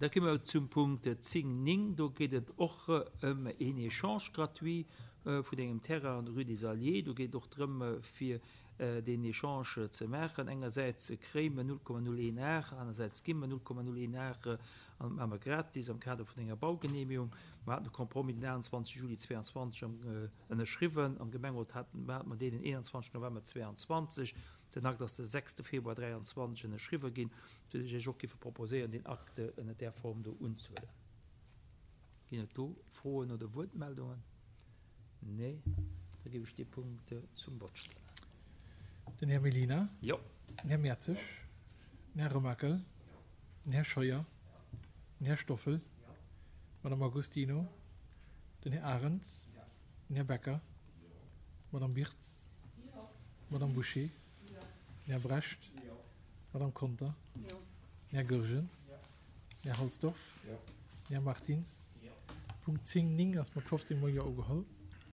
Da komme mer zum Punkt 10, 9. Do geet et och ëm een Échange gratuit vun engem Terrain an der Rue des Alliés. Do geet et och drëm, fir deen Échange ze maachen. Engersäits kréie mer 0,01 Ar, anersäits gi mer 0,01 Ar an dat maache mer gratis am Kader vun enger Baugenehmigung. Mer haten de Compromis den 28 Juli 22 ënnerschriwwen. Am Gemengerot hate mer deen den 21 November 22. Den Akt ass de 6 Februar 23 ënnerschriwwe ginn, sou datt ech Iech och géife proposéieren, deen Akt ënner där Form do unzehuelen. Ginn et do Froen oder Wuertmeldungen? Nee? Da géif ech dee Punkt zum Vott stellen. Den Här Mellina. Jo. Den Här Mertzig. Den Här Remakel. Den Här Scheuer. Den Här Stoffel. D'Madame Agostino. Den Här Arens. Den Här Becker. D'Madame Birtz. D'Madame Bouché. Den Här Brecht. D'Madame Conter. Den Här Goergen. Den Här Halsdorf. Den Här Martins. Punkt 10, 9 ass mat 15 mol Jo ugeholl.